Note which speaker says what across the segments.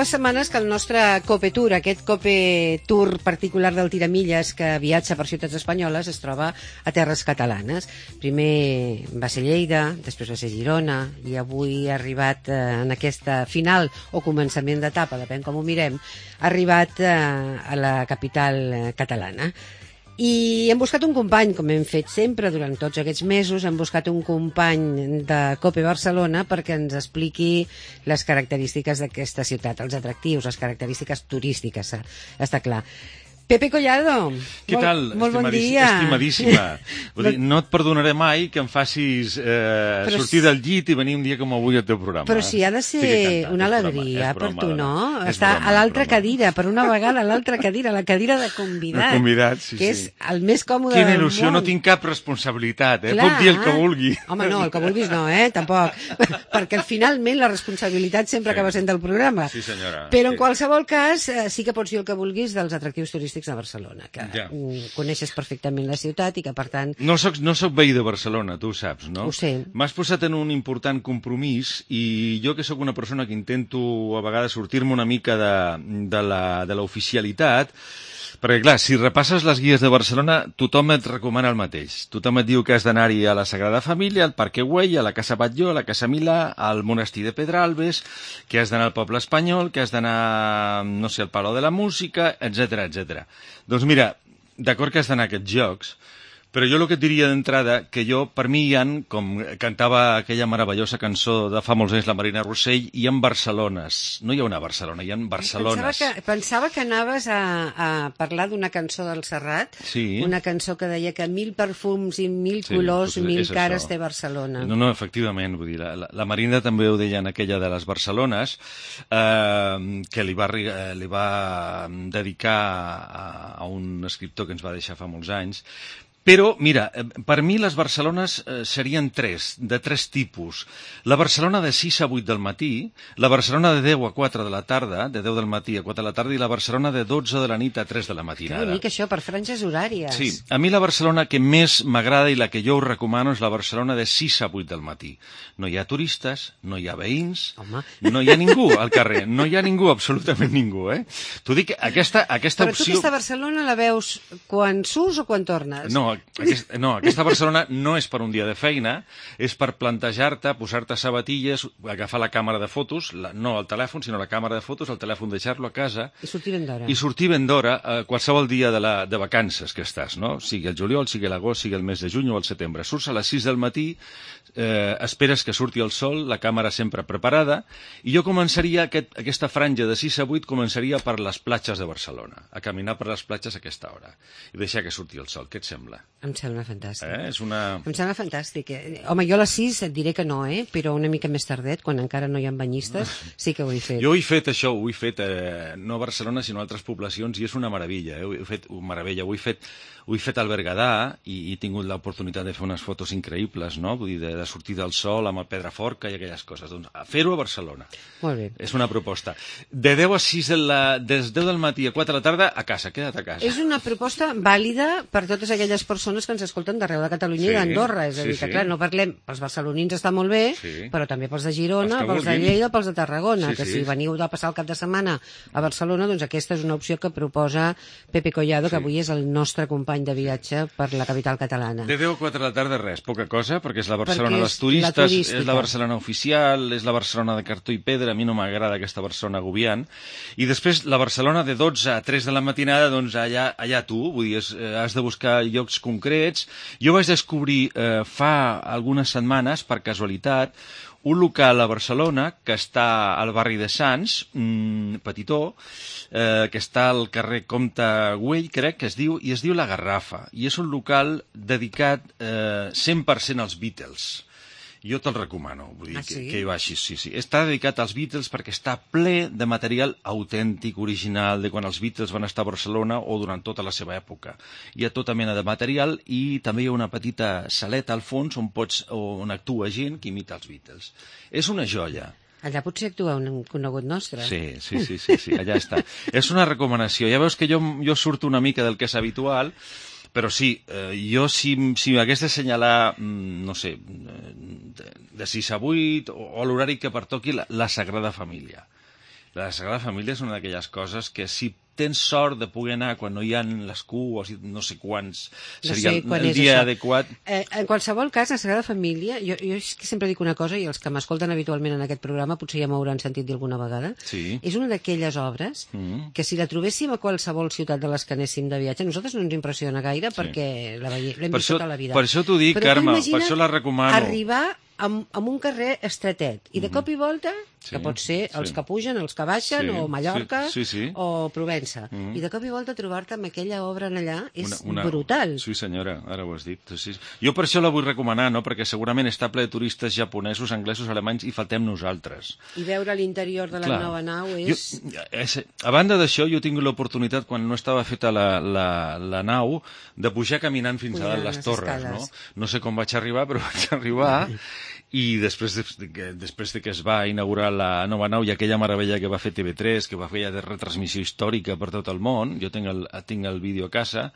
Speaker 1: unes setmanes que el nostre Cope Tour, aquest Cope Tour particular del Tiramilles que viatja per ciutats espanyoles, es troba a terres catalanes. Primer va ser Lleida, després va ser Girona, i avui ha arribat en aquesta final o començament d'etapa, depèn com ho mirem, ha arribat a la capital catalana. I hem buscat un company, com hem fet sempre durant tots aquests mesos, hem buscat un company de Cope Barcelona perquè ens expliqui les característiques d'aquesta ciutat, els atractius, les característiques turístiques, està clar. Pepe Collado,
Speaker 2: què tal?
Speaker 1: Molt bon dia.
Speaker 2: Estimadíssima. Vull dir, no et perdonaré mai que em facis sortir del llit i venir un dia com avui al teu programa.
Speaker 1: Però si ha de ser una alegria per tu, no? Està a l'altra cadira, per una vegada a l'altra cadira, la cadira de convidat.
Speaker 2: De convidat, sí,
Speaker 1: que és el més còmode del món.
Speaker 2: Quina il·lusió, no tinc cap responsabilitat, Puc dir el que vulgui.
Speaker 1: Home, no, el que vulguis no, tampoc. Perquè finalment la responsabilitat sempre acaba sent del programa.
Speaker 2: Sí, senyora.
Speaker 1: Però en qualsevol cas sí que pots dir el que vulguis dels atractius turístics de Barcelona, que coneixes perfectament la ciutat i que, per tant...
Speaker 2: No soc veí de Barcelona, tu ho saps, no?
Speaker 1: Ho sé.
Speaker 2: M'has posat en un important compromís i jo, que sóc una persona que intento a vegades sortir-me una mica de l'oficialitat, perquè, clar, si repasses les guies de Barcelona, tothom et recomana el mateix. Tothom et diu que has d'anar-hi a la Sagrada Família, al Parc Güell, a la Casa Batlló, a la Casa Milà, al Monestir de Pedralbes, que has d'anar al Poble Espanyol, que has d'anar, no sé, al Palau de la Música, etc etc. Doncs mira, d'acord que has d'anar a aquests llocs, però jo el que et diria d'entrada, que jo, per mi, com cantava aquella meravellosa cançó de fa molts anys la Marina Rossell, hi ha Barcelones. No hi ha una Barcelona, hi ha Barcelones.
Speaker 1: Pensava que anaves a parlar d'una cançó del Serrat, una cançó que deia que 1000 perfums i 1000 colors, 1000 cares té Barcelona.
Speaker 2: No, efectivament, vull dir, la Marina també ho deia en aquella de les Barcelones, que li va dedicar a un escriptor que ens va deixar fa molts anys. Però, mira, per mi les Barcelones serien de tres tipus. La Barcelona de 6 a 8 del matí, la Barcelona de 10 a 4 de la tarda, de 10 del matí a 4 de la tarda, i la Barcelona de 12 de la nit a 3 de la matinada.
Speaker 1: Que bonic això, per franges horàries.
Speaker 2: Sí, a mi la Barcelona que més m'agrada i la que jo us recomano és la Barcelona de 6 a 8 del matí. No hi ha turistes, no hi ha veïns, no hi ha ningú al carrer, no hi ha ningú, absolutament ningú, T'ho dic, aquesta opció...
Speaker 1: Però tu aquesta Barcelona la veus quan surts o quan tornes?
Speaker 2: Aquesta Barcelona no és per un dia de feina, és per plantejar-te, posar-te sabatilles, agafar la càmera de fotos, no el telèfon, sinó la càmera de fotos, el telèfon deixar-lo a casa...
Speaker 1: I sortir ben d'hora.
Speaker 2: I sortir ben d'hora qualsevol dia de vacances que estàs, no? Sigui el juliol, sigui l'agost, sigui el mes de juny o el setembre. Surts a les 6 del matí, esperes que surti el sol, la càmera sempre preparada, i jo començaria, aquesta franja de 6 a 8, començaria per les platges de Barcelona, a caminar per les platges a aquesta hora, i deixar que surti el sol. Què et sembla?
Speaker 1: Em sembla fantàstic.
Speaker 2: Em
Speaker 1: sembla fantàstic. Home, jo a les 6 et diré que no, però una mica més tardet, quan encara no hi ha banyistes, sí que ho he fet.
Speaker 2: Jo ho he fet, això, ho he fet, no a Barcelona, sinó a altres poblacions, i és una meravella, ho he fet al Berguedà, i he tingut l'oportunitat de fer unes fotos increïbles, no? Vull dir, de sortir del sol amb el Pedraforca i aquelles coses. Doncs fer-ho a Barcelona.
Speaker 1: Molt bé.
Speaker 2: És una proposta. De 10 a 6 des 10 del matí a 4 de la tarda, a casa, queda't a casa.
Speaker 1: És una proposta vàlida per totes aquelles persones que ens escolten d'arreu de Catalunya i d'Andorra. És a dir, que clar, no parlem, pels barcelonins està molt bé, però també pels de Girona, pels de Lleida, pels de Tarragona, que si veniu de passar el cap de setmana a Barcelona, doncs aquesta és una opció que proposa Pepe Collado, que avui és el nostre company de viatge per la capital catalana.
Speaker 2: De 10 a 4 de la tarda res, poca cosa, perquè és la Barcelona dels turistes, és la Barcelona oficial, és la Barcelona de cartó i pedra, a mi no m'agrada aquesta Barcelona agobiant, i després la Barcelona de 12 a 3 de la matinada, doncs allà tu, vull dir, has de buscar llocs concrets. Jo vaig descobrir fa algunes setmanes, per casualitat, un local a Barcelona que està al barri de Sants, petitó, que està al carrer Comte Güell, crec que es diu, i es diu La Garrafa, i és un local dedicat 100% als Beatles. Jo te'l recomano, vull dir, que hi vagis, sí. Està dedicat als Beatles perquè està ple de material autèntic, original, de quan els Beatles van estar a Barcelona o durant tota la seva època. Hi ha tota mena de material i també hi ha una petita saleta al fons on actua gent que imita els Beatles. És una joia.
Speaker 1: Allà potser actua un conegut nostre.
Speaker 2: Sí, allà està. És una recomanació. Ja veus que jo surto una mica del que és habitual, però sí, jo si m'hagués d'assenyalar, no sé, de 6 a 8 o l'horari que pertoqui, la Sagrada Família. La Sagrada Família és una d'aquelles coses que si tens sort de poder anar quan no hi ha les cues, no sé quants seria el dia adequat.
Speaker 1: En qualsevol cas, la Sagrada Família, jo sempre dic una cosa, i els que m'escolten habitualment en aquest programa potser ja m'hauran sentit dir alguna vegada, és una d'aquelles obres que si la trobéssim a qualsevol ciutat de les que anéssim de viatge, a nosaltres no ens impressiona gaire perquè l'hem vist tota la vida.
Speaker 2: Per això t'ho dic, Carme, per això la recomano.
Speaker 1: Arribar amb un carrer estretet i de cop i volta, que pot ser els que pugen, els que baixen, o Mallorca o Provença, i de cop i volta trobar-te amb aquella obra allà és brutal.
Speaker 2: Sí senyora, ara ho has dit. Jo per això la vull recomanar, perquè segurament està ple de turistes japonesos, anglesos, alemanys i faltem nosaltres.
Speaker 1: I veure l'interior de la nova nau és...
Speaker 2: A banda d'això, jo he tingut l'oportunitat, quan no estava feta la nau, de pujar caminant fins a dalt les torres. No sé com vaig arribar, però vaig arribar. I després de que es va inaugurar la nova nau i aquella meravella que va fer TV3, que va fer ja de retransmissió històrica per tot el món, jo tinc el vídeo a casa,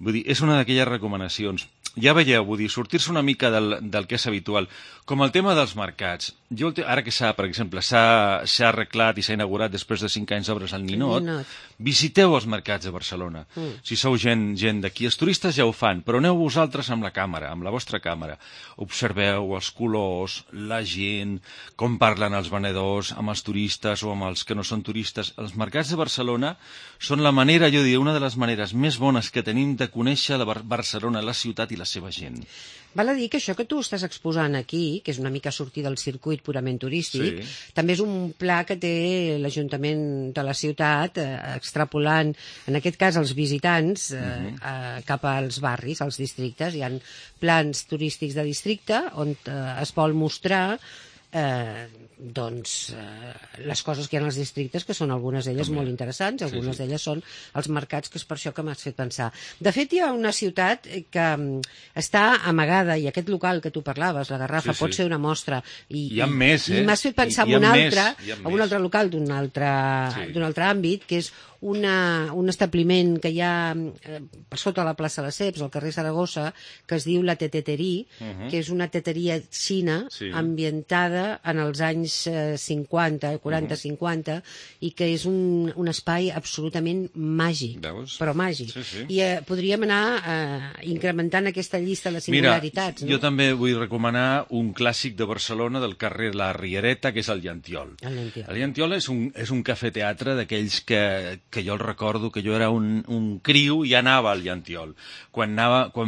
Speaker 2: vull dir, és una d'aquelles recomanacions. Ja veieu, vull dir, sortir-se una mica del que és habitual. Com el tema dels mercats. Ara que per exemple, s'ha arreglat i s'ha inaugurat després de 5 anys d'obres al Ninot, visiteu els mercats de Barcelona. Si sou gent d'aquí, els turistes ja ho fan, però aneu vosaltres amb la càmera, amb la vostra càmera. Observeu els colors, la gent, com parlen els venedors amb els turistes o amb els que no són turistes. Els mercats de Barcelona són la manera, jo diria, una de les maneres més bones que tenim de conèixer Barcelona, la ciutat i la seva gent.
Speaker 1: Val a dir que això que tu estàs exposant aquí, que és una mica sortir del circuit purament turístic, també és un pla que té l'Ajuntament de la ciutat, extrapolant, en aquest cas, els visitants cap als barris, als districtes. Hi ha plans turístics de districte on es vol mostrar les coses que hi ha als districtes, que són algunes d'elles molt interessants, algunes d'elles són els mercats, que és per això que m'has fet pensar. De fet, hi ha una ciutat que està amagada, i aquest local que tu parlaves, la Garrafa, pot ser una mostra.
Speaker 2: Hi ha més,
Speaker 1: I m'has fet pensar en un altre local d'un altre àmbit, que és un establiment que hi ha per sota la plaça de Ceps, al carrer Saragossa, que es diu La Teteterie, que és una teteria xina ambientada en els anys 40-50, i que és un espai absolutament màgic, però màgic. I podríem anar incrementant aquesta llista de singularitats.
Speaker 2: Mira, jo també vull recomanar un clàssic de Barcelona, del carrer La Riereta, que és el Llantiol. El Llantiol és un cafè-teatre d'aquells que jo el recordo, que jo era un criu i anava al Llantiol. Quan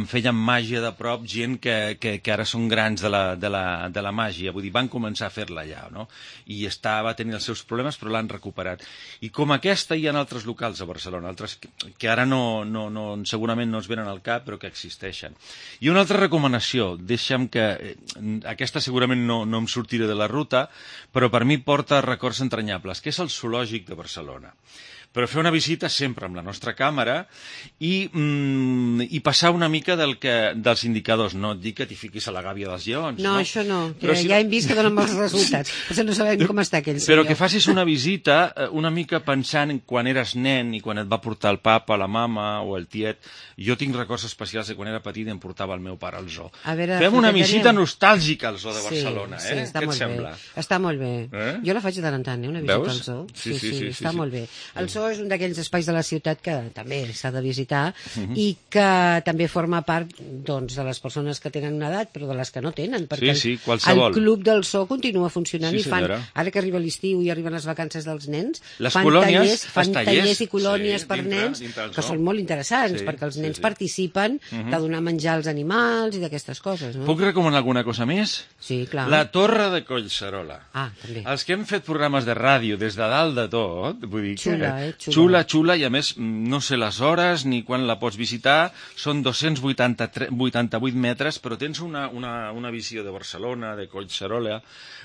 Speaker 2: feien màgia de prop, gent que ara són grans de la màgia, vull dir, van començar a fer-la allà, no? I va tenir els seus problemes, però l'han recuperat. I com aquesta hi ha altres locals a Barcelona, altres que ara segurament no es venen al cap, però que existeixen. I una altra recomanació, deixa'm que aquesta segurament no em sortiré de la ruta, però per mi porta records entranyables, que és el Zoològic de Barcelona. Però fer una visita sempre amb la nostra càmera i passar una mica dels indicadors. No et dic que t'hi fiquis a la gàbia dels lleons.
Speaker 1: No, això no, que ja hem vist que donen molts resultats. Potser no sabem com està aquell senyor.
Speaker 2: Però que facis una visita una mica pensant en quan eres nen i quan et va portar el papa, la mama o el tiet. Jo tinc records especials de quan era petit i em portava el meu pare al zoo. Fem una visita nostàlgica al zoo de Barcelona,
Speaker 1: eh?
Speaker 2: Què et sembla?
Speaker 1: Està molt bé. Jo la faig de tant en tant, una visita al zoo. Sí, està molt bé. El zoo és un d'aquells espais de la ciutat que també s'ha de visitar i que també forma part de les persones que tenen una edat, però de les que no tenen, perquè el Club del Zoo continua funcionant i fan, ara que arriba l'estiu i arriben les vacances dels nens, fan tallers i colònies per nens que són molt interessants, perquè els nens participen de donar menjar als animals i d'aquestes coses.
Speaker 2: Puc recomanar alguna cosa més?
Speaker 1: Sí, clar.
Speaker 2: La Torre de Collserola.
Speaker 1: També.
Speaker 2: Els que hem fet programes de ràdio des de dalt de tot, vull dir que xula, i a més no sé les hores ni quan la pots visitar, són 288 metres, però tens una visió de Barcelona, de Collserola,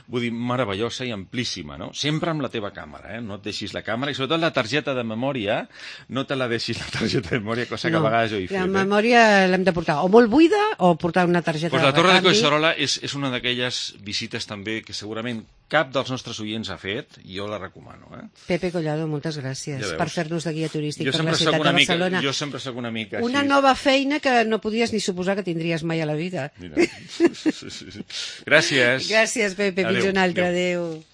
Speaker 2: vull dir, meravellosa i amplíssima, no? Sempre amb la teva càmera, no et deixis la càmera, i sobretot la targeta de memòria, no te la deixis la targeta de memòria, cosa que a vegades jo he fet.
Speaker 1: La memòria l'hem de portar o molt buida o portar una targeta de recanvi.
Speaker 2: La Torre de Collserola és una d'aquelles visites també que segurament cap dels nostres oients ha fet, i jo la recomano.
Speaker 1: Pepe Collado, moltes gràcies per fer-nos de guia turístic per la ciutat de Barcelona.
Speaker 2: Jo sempre soc una mica així.
Speaker 1: Una nova feina que no podies ni suposar que tindries mai a la vida.
Speaker 2: Gràcies.
Speaker 1: Gràcies, Pepe. Fins un altre. Adéu.